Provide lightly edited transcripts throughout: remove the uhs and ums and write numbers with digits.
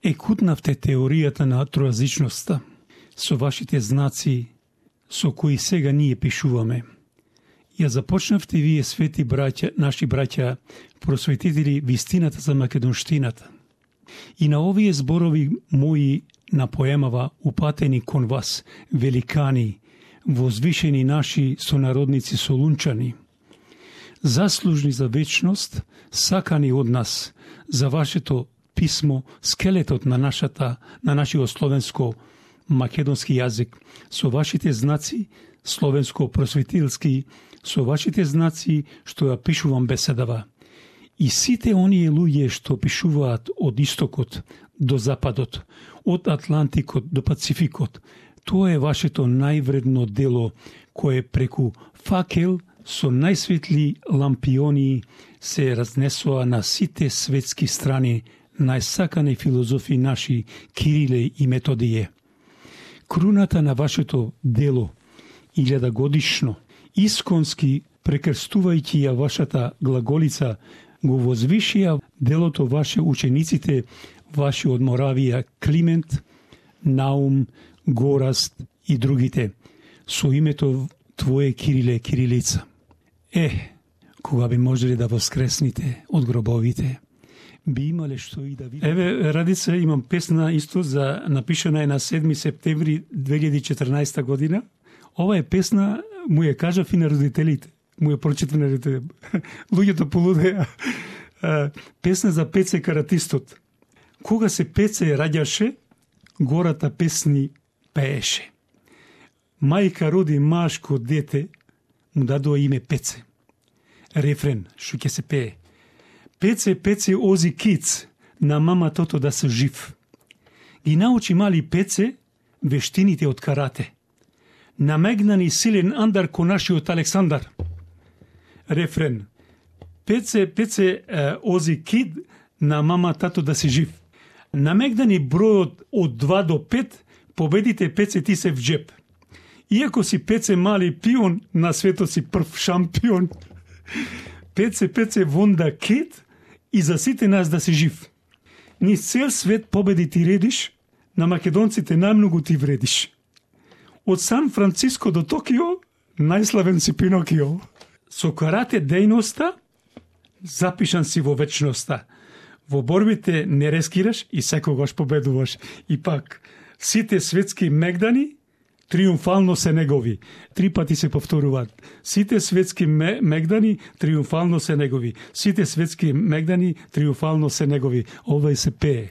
екутнавте теоријата на тројазичноста со вашите знаци со кои сега ние пишуваме. Ја започнавте вие, свети браќа, наши браќа, просветители, вистината за македонштината. И на овие зборови мои на поемава упатени кон вас, великани, возвишени наши сонародници солунчани, заслужни за вечност, сакани од нас, за вашето писмо, скелетот на нашиот словенско македонски јазик, со вашите знаци, словенско просветителски, со вашите знаци што ја пишувам беседава. И сите оние луѓе што пишуваат од истокот до западот, од Атлантикот до Пацификот, тоа е вашето највредно дело кое преку факел со најсветли лампиони се разнесува на сите светски страни најсакани филозофи наши Кириле и Методије. Круната на вашето дело, 1000-годишно, исконски прекрстувајќи ја вашата глаголица, го возвишија делото ваше учениците, ваши од Моравија, Климент, Наум, Гораст и другите, со името Твое Кириле, Кирилица. Кога би можеле да воскресните од гробовите, би имале што и да видите. Еве, Радица, имам песна исто за напишана е на 7 септември 2014 година. Ова е песна, му ја кажав и на родителите. Му ја прочитав на родителите. Луѓето полудеа. Песна за Пеце Каратистот. Кога се Пеце раѓаше, гората песни пееше. Мајка роди машко дете, му дадоа име Пеце. Рефрен, што ќе се пее. Пеце, Пеце, ози киц, на мама тото да се жив. Ги научи мали Пеце вештините од карате. Намегнани силен андар ко нашиот Александар. Рефрен. Пеце, Пеце, ози кид, на мама тато да се жив. Намегнани бројот од 2 до 5, победите Пеце ти се в джеп. Иако си Пеце мали пион, на светот си прв шампион. Пеце, Пеце, вонда кид, и за сите нас да се жив. Низ цел свет победи ти редиш, на македонците најмногу ти вредиш. Од Сан Франциско до Токио, најславен си Пинокио. Со карате дејноста, запишан си во вечноста. Во борбите не рескираш и секогаш победуваш. И пак, сите светски мегдани, триумфално се негови. 3 пати се повторуваат. Сите светски мегдани, триумфално се негови. Сите светски мегдани, триумфално се негови. Ова и се пее.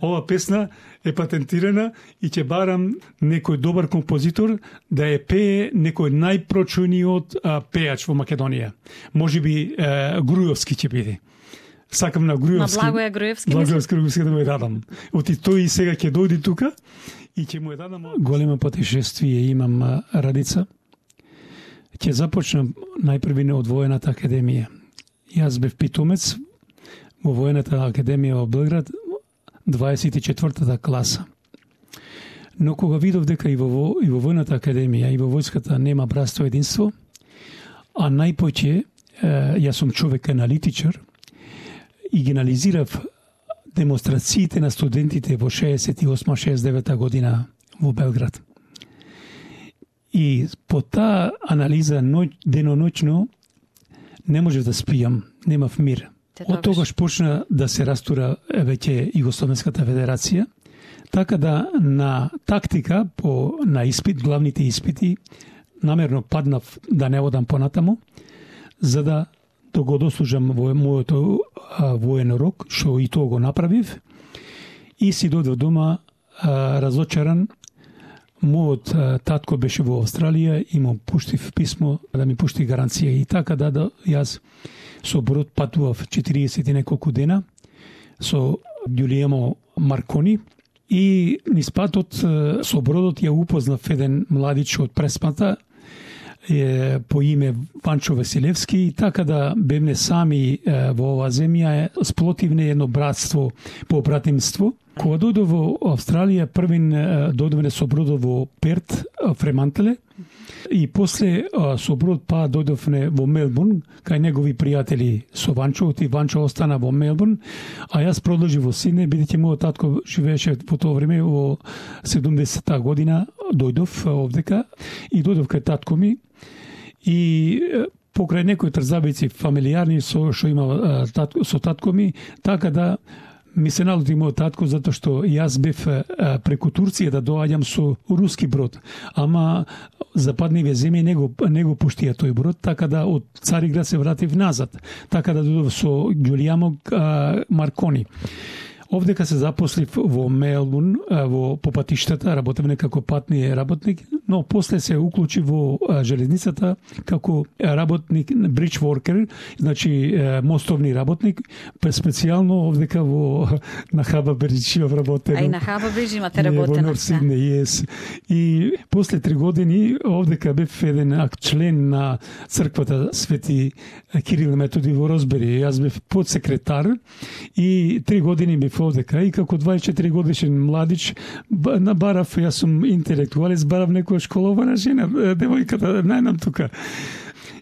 Ова песна е патентирана и ќе барам некој добар композитор да ја пее некој најпрочуниот пеач во Македонија. Може би Груевски ќе биде. Сакам на Груевски. На Благоја Груевски. Груевски да му ја дадам. Оти тој и сега ќе дојде тука и ќе му ја дадам. Големо путешествие имам, Радица. Ќе започнам најпрви од Воената академија. Јас бев питомец во Воената академија во Белград, 24-та класа. Но кога видов дека и во Војната академија и во војската нема братство единство, а најпоќе јас сум човек аналитичар и ги анализирав демонстрациите на студентите во 68-69 година во Белград. И по таа анализа деноноќно не можев да спијам, немав мир. Од тогаш почна да се растура веќе Југословенската федерација, така да на тактика на испит, главните испити, намерно паднав да не одам понатаму, за да го дослужам во мојот воен рок, што и тоа го направив, и си дојдов дома разочаран. Мојот татко беше во Австралија и му пуштив писмо да ми пушти гаранција, и така да јас со брод патував 40 и неколку дена со Ѓулиемо Маркони, и низ патот со бродот ја упознав еден младич од Преспата по име Ванчо Василевски, и така да бевме сами во оваа земја, сплотивне едно братство по братимство. Кога дојдов во Австралија, првин дојдовме со бродот во Перт, Фремантеле, И после со брод па дојдовме во Мелбурн, кај негови пријатели со Ванчо, и Ванчо остана во Мелбурн, а јас продолжив во Сиднеј, бидејќи мојот татко живееше во тоа време во 70-та година, дојдов овдека и дојдов кај татко ми и покрај некои трзабици фамилијарни што има со татко ми, така да ми се налути мојот татко затоа што јас бев преку Турција да доаѓам со руски брод, ама западниве земји не го пуштија тој брод, така да од Цариград се вратив назад, така да дојдов со Ѓулијамо Маркони. Овдека се запослив во Мелбурн, по патиштата, работевме како патни работник, но после се уклучи во железницата како работник, bridge worker, значи мостовни работник, специјално овдека на Хаба Бридж работев. А и на Хаба Бридж имате работено. И после 3 години овдека бев еден член на црквата Свети Кирил и Методи во Розбери. Јас бев подсекретар и 3 години бев овдека и како 24 годишен младич барав, јас сум интелектуалец, барав некоја школована жена, девојката, најнам тука.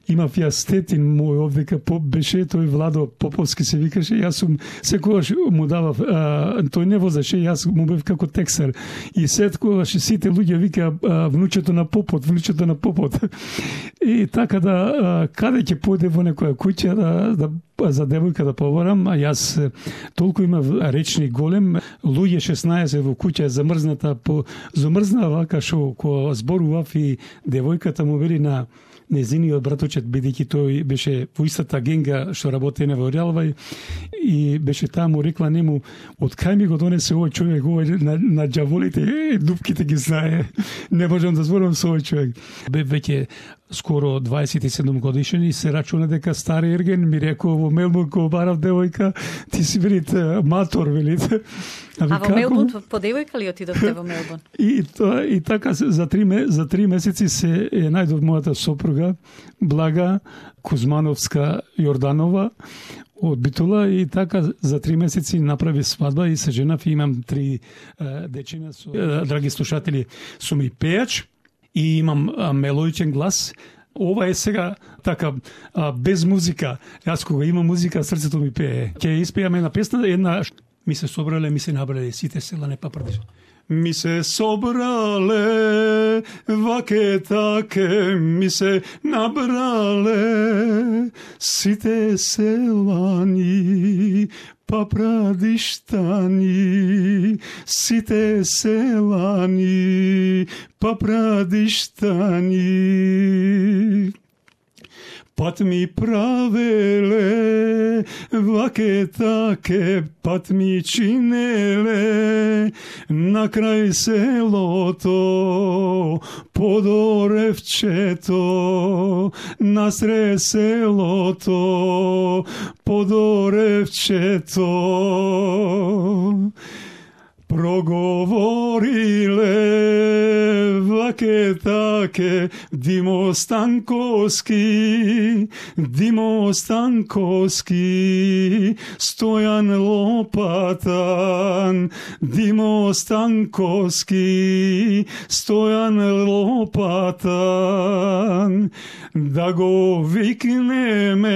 Имав јас тетин мој овдека, беше тој Владо Поповски се викаше, јас сум секогаш му давав, тој не возеше, јас му бев како тексар. И секогаш сите луѓе вика внучето на попот. И така да каде ќе појде во некоја куќа за девојка да побарам, а јас толку имав речник голем, луѓе 16 во куќа замрзна вака шо кога зборував и девојката му вели на незиниот браточет, бидејќи тој беше во истата генга што работене во Релвај и беше таму, рекла нему, од кај ми го донесе овој човек, овој на џаволите, дупките ги знае, не можам да зборувам со овој човек. Бе веќе скоро 27 годишен и се рачуна дека стари ерген, ми рекол во Мелбурн кога барав девојка, ти си велите матор, велите. А во Мелбурн по девојка ли отидовте во Мелбурн? И така за 3 месеци се најдов мојата сопруга Блага Кузмановска Јорданова од Битула и така за 3 месеци направи свадба и се женав и имам 3 дечина. Драги слушатели, сум и пејач и имам мелодичен глас. Ова е сега така без музика. Јас кога имам музика, срцето ми пее. Ќе испејаме една песна, една ми се собрале, ми се набрале сите села не папрдиш. Ми се собрале, ваке таке, ми се набрале сите селани, папрадиштани, сите селани, папрадиштани. Пат ми правеле, ваке таке, пат ми чинеле, на крај селото, под оревчето, насре селото, под оревчето. Проговориле ваке таке Димо Станковски, Стојан Лопатан, Димо Станковски, Стојан Лопатан, да го викнеме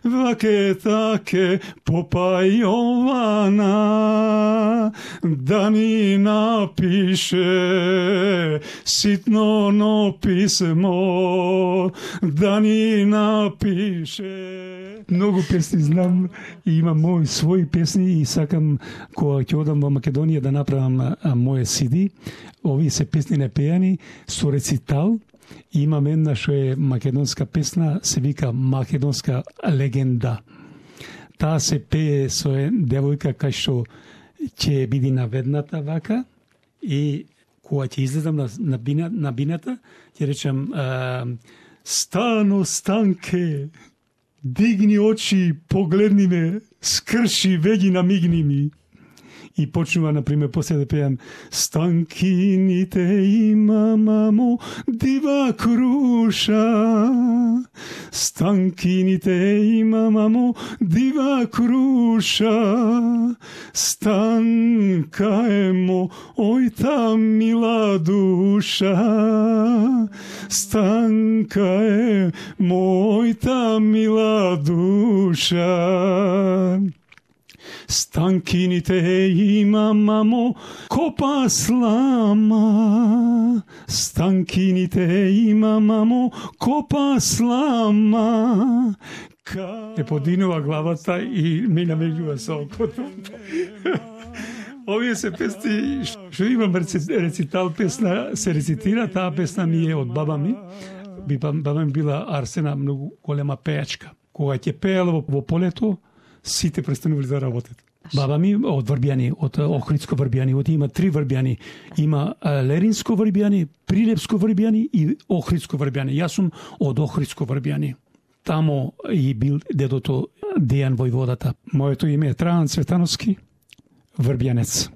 ваке таке Попа Јована, да ни напише ситно писмо, да ни напише. Многу песни знам и имам мои своји песни и сакам кога ќе одам во Македонија да направам моје CD. Овие се песни непејани со рецитал. Имам една што е македонска песна, се вика Македонска легенда. Таа се пее со девојка кај што ќе биде наведната вака и кога ќе излезам на бината, ќе речам Стано, Станке, дигни очи, погледни ме, скрши, веги намигни ми. И почнува, например, после да пеам Станкините има, мамо, дива круша. Станкините има, мамо, дива круша. Станка е мојта мила душа. Станка е мојта мила душа. Станкините има, мамо, копа слама. Станкините има, мамо, копа слама. Е подинува главата и ми намеѓува со окото. Овие се песни, што имам рецитал песна, се рецитира, таа песна ми е од баба ми. Баба ми била Арсена, многу голема пејачка. Кога ќе пеела во полето, сите престанували да работат. Баба ми од Врбјани, од Охридско Врбјани, има 3 Врбјани. Има Леринско Врбјани, Прилепско Врбјани и Охридско Врбјани. Јас сум од Охридско Врбјани. Тамо и бил дедото Дејан војводата. Моето име е Трајан Цветановски, Врбјанец.